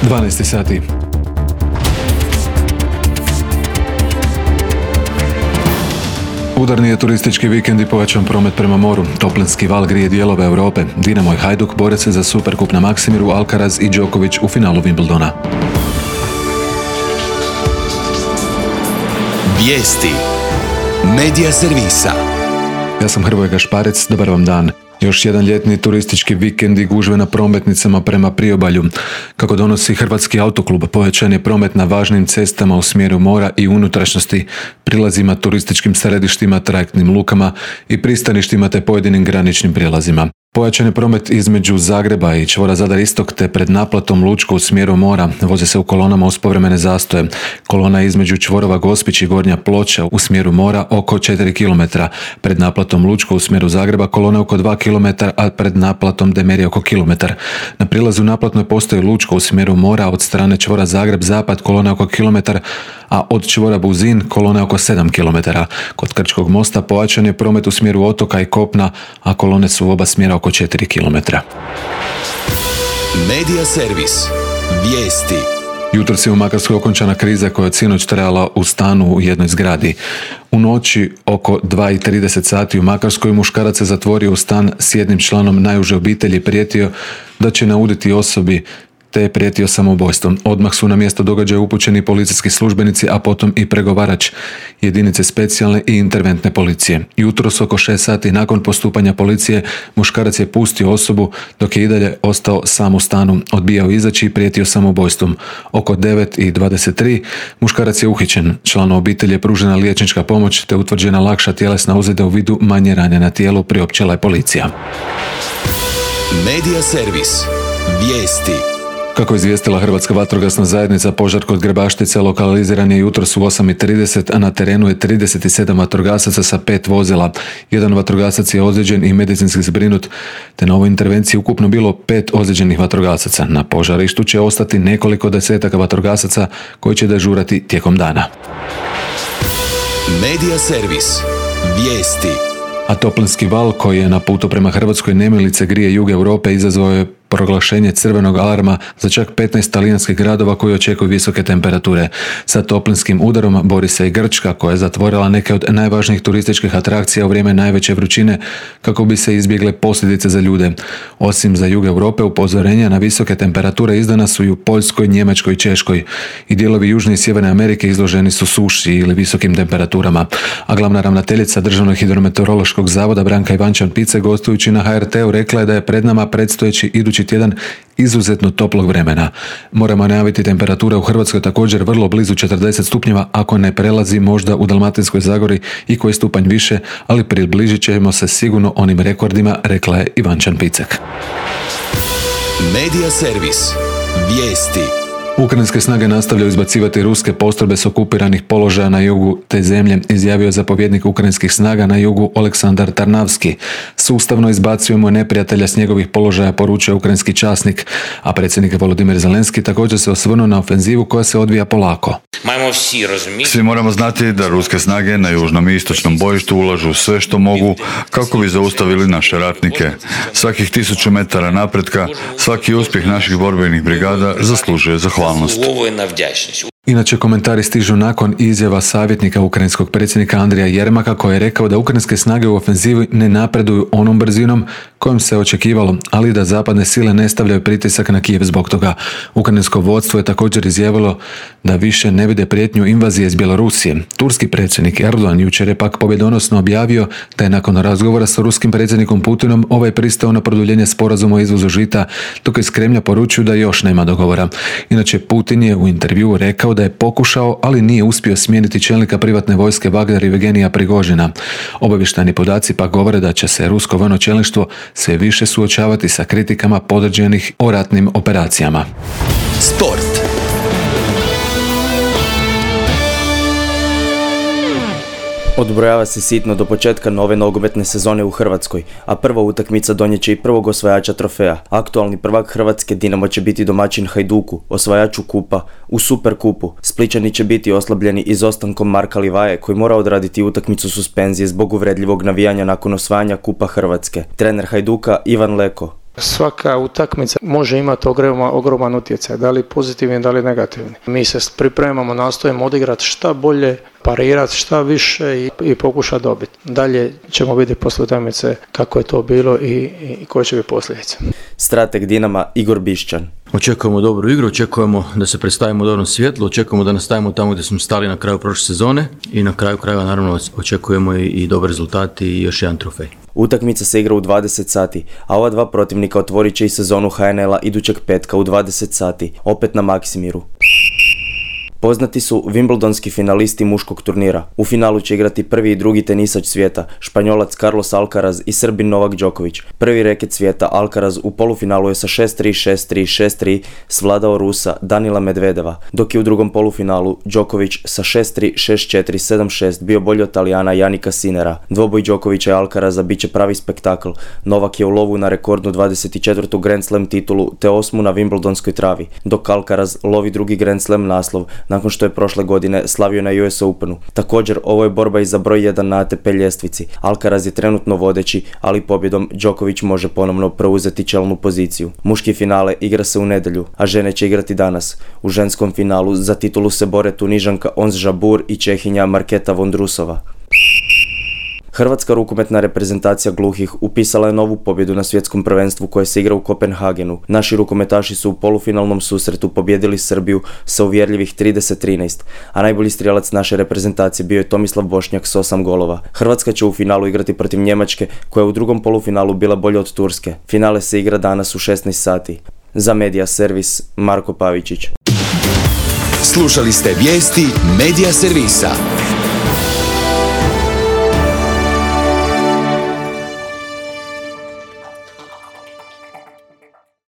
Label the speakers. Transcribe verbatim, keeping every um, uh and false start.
Speaker 1: dvanaest sati. Udarni je turistički vikend i povećan promet prema moru. Toplinski val grije dijelove Europe. Dinamo i Hajduk bore se za Superkup na Maksimiru, Alcaraz i Djokovic u finalu Wimbledona.
Speaker 2: Vijesti Medija servisa.
Speaker 1: Ja sam Hrvoje Gašparec, dobar vam dan. Još jedan ljetni turistički vikend i gužve na prometnicama prema priobalju. Kako donosi Hrvatski autoklub, povećan je promet na važnim cestama u smjeru mora i unutrašnjosti, prilazima, turističkim središtima, trajektnim lukama i pristaništima te pojedinim graničnim prijelazima. Pojačan je promet između Zagreba i čvora Zadar Istok te pred naplatom Lučko u smjeru mora. Voze se u kolonama uz povremene zastoje. Kolona između čvorova Gospić i Gornja Ploča u smjeru mora oko četiri kilometra. Pred naplatom Lučko u smjeru Zagreba kolona oko dva kilometra, a pred naplatom Demerija oko kilometar. Na prilazu naplatnoj postoji Lučko u smjeru mora, od strane čvora Zagreb-Zapad kolona oko kilometar, a od čvora Buzin kolona oko sedam kilometara. Kod Krčkog mosta pojačan je promet u smjeru otoka i kopna, a kolone su u oba smjera oko četiri kilometra.
Speaker 2: Medija servis. Vijesti.
Speaker 1: Jutros je u Makarskoj okončana kriza koja je sinoć trajala u stanu u jednoj zgradi. U noći oko dva i trideset sati u Makarskoj muškarac se zatvorio u stan s jednim članom najuže obitelji i prijetio da će nauditi osobi, te je prijetio samoubojstvom. Odmah su na mjesto događaja upućeni policijski službenici, a potom i pregovarač jedinice specijalne i interventne policije. Jutros oko šest sati nakon postupanja policije muškarac je pustio osobu dok je i dalje ostao sam u stanu, odbijao izaći i prijetio samoubojstvom. Oko devet i dvadeset tri muškarac je uhićen. Članu obitelji je pružena liječnička pomoć te utvrđena lakša tjelesna ozljeda u vidu manje rane na tijelu, priopćila je policija.
Speaker 2: Medija servis. Vijesti.
Speaker 1: Kako je izvijestila Hrvatska vatrogasna zajednica, požar kod Grebaštice lokaliziran je jutros u osam i trideset, a na terenu je trideset sedam vatrogasaca sa pet vozila. Jedan vatrogasac je ozlijeđen i medicinski zbrinut, te na ovoj intervenciji ukupno bilo pet ozlijeđenih vatrogasaca. Na požarištu će ostati nekoliko desetaka vatrogasaca koji će dežurati tijekom dana.
Speaker 2: Medija servis. Vijesti.
Speaker 1: A toplinski val koji je na putu prema Hrvatskoj nemilice grije jug Europe izazvao je proglašenje crvenog alarma za čak petnaest talijanskih gradova koji očekuju visoke temperature. Sa toplinskim udarom bori se i Grčka koja je zatvorila neke od najvažnijih turističkih atrakcija u vrijeme najveće vrućine kako bi se izbjegle posljedice za ljude. Osim za jug Europe, upozorenja na visoke temperature izdana su i u Poljskoj, Njemačkoj i Češkoj. I dijelovi Južne i Sjeverne Amerike izloženi su suši ili visokim temperaturama. A glavna ravnateljica Državnog hidrometeorološkog zavoda Branka Ivančan-Picek gostujući na ha er te u rekla je da je pred nama predstojeći idući tjedan izuzetno toplog vremena. Moramo najaviti temperatura u Hrvatskoj također vrlo blizu četrdeset stupnjeva, ako ne prelazi možda u Dalmatinskoj Zagori i koji stupanj više, ali približit ćemo se sigurno onim rekordima, rekla je Ivančan-Picek.
Speaker 2: Medija servis. Vijesti.
Speaker 1: Ukrajinske snage nastavljaju izbacivati ruske postrojbe s okupiranih položaja na jugu te zemlje, izjavio je zapovjednik ukrajinskih snaga na jugu Oleksandar Tarnavski. Sustavno izbacujemo neprijatelja s njegovih položaja, poručuje ukrajinski časnik, a predsjednik Volodimir Zelenski također se osvrnuo na ofenzivu koja se odvija polako.
Speaker 3: Svi moramo znati da ruske snage na južnom i istočnom bojištu ulažu sve što mogu kako bi zaustavili naše ratnike. Svakih tisuću metara napretka, svaki uspjeh naših borbenih brigada zaslužuje zahvalnost.
Speaker 1: Inače, komentari stižu nakon izjava savjetnika ukrajinskog predsjednika Andrija Jermaka koji je rekao da ukrajinske snage u ofenzivi ne napreduju onom brzinom kojom se očekivalo, ali da zapadne sile ne stavljaju pritisak na Kijev zbog toga. Ukrajinsko vodstvo je također izjavilo da više ne vide prijetnju invazije iz Bjelorusije. Turski predsjednik Erdogan jučer je pak pobjedonosno objavio da je nakon razgovora sa ruskim predsjednikom Putinom ovaj pristao na produljenje sporazuma o izvozu žita, dok iz Kremlja poručuju da još nema dogovora. Inače, Putin je u intervjuu rekao da je pokušao, ali nije uspio smijeniti čelnika privatne vojske Vagner Evgenija Prigožina. Obavještajni podaci pa govore da će se rusko vojno čelništvo sve više suočavati sa kritikama podređenih o ratnim operacijama.
Speaker 2: Sport.
Speaker 4: Odbrojava se sitno do početka nove nogometne sezone u Hrvatskoj, a prva utakmica donijet će i prvog osvajača trofeja. Aktualni prvak Hrvatske Dinamo će biti domaćin Hajduku, osvajaču kupa. U Superkupu Splićani će biti oslabljeni izostankom Marka Livaje koji mora odraditi utakmicu suspenzije zbog uvredljivog navijanja nakon osvajanja kupa Hrvatske. Trener Hajduka Ivan Leko
Speaker 5: Svaka utakmica može imati ogroman, ogroman utjecaj, da li pozitivni, da li negativni. Mi se pripremamo, nastojimo odigrati šta bolje, parirati šta više i, i pokušati dobiti. Dalje ćemo vidjeti poslije utakmice kako je to bilo i, i koje će biti posljedice.
Speaker 4: Strateg Dinama Igor Bišćan.
Speaker 6: Očekujemo dobru igru, očekujemo da se predstavimo u dobrom svjetlu, očekujemo da nastavimo tamo gdje smo stali na kraju prošle sezone i na kraju krajeva naravno očekujemo i, i dobar rezultat i još jedan trofej.
Speaker 4: Utakmica se igra u dvadeset sati, a ova dva protivnika otvorit će i sezonu ha en el-a idućeg petka u dvadeset sati, opet na Maksimiru. Poznati su Wimbledonski finalisti muškog turnira. U finalu će igrati prvi i drugi tenisač svijeta, Španjolac Carlos Alcaraz i Srbin Novak Đoković. Prvi reket svijeta Alcaraz u polufinalu je sa šest tri, šest tri, šest tri svladao Rusa Danila Medvedeva, dok je u drugom polufinalu Đoković sa šest tri, šest četiri, sedam šest bio bolji od Talijana Janika Sinera. Dvoboj Đokovića i Alcaraza bit će pravi spektakl. Novak je u lovu na rekordnu dvadeset četvrtu Grand Slam titulu te osmu na Wimbledonskoj travi, dok Alcaraz lovi drugi Grand Slam naslov nakon što je prošle godine slavio na U S Openu. Također, ovo je borba i za broj jedan na A T P ljestvici. Alcaraz je trenutno vodeći, ali pobjedom Đoković može ponovno preuzeti čelnu poziciju. Muški finale igra se u nedjelju, a žene će igrati danas. U ženskom finalu za titulu se bore Tunižanka Ons Jabeur i Čehinja Marketa Vondrusova. Hrvatska rukometna reprezentacija gluhih upisala je novu pobjedu na svjetskom prvenstvu koje se igra u Kopenhagenu. Naši rukometaši su u polufinalnom susretu pobijedili Srbiju sa uvjerljivih trideset trinaest, a najbolji strijelac naše reprezentacije bio je Tomislav Bošnjak s osam golova. Hrvatska će u finalu igrati protiv Njemačke, koja je u drugom polufinalu bila bolja od Turske. Finale se igra danas u šesnaest sati. Za Media Servis, Marko Pavičić.
Speaker 2: Slušali ste vijesti Media Servisa.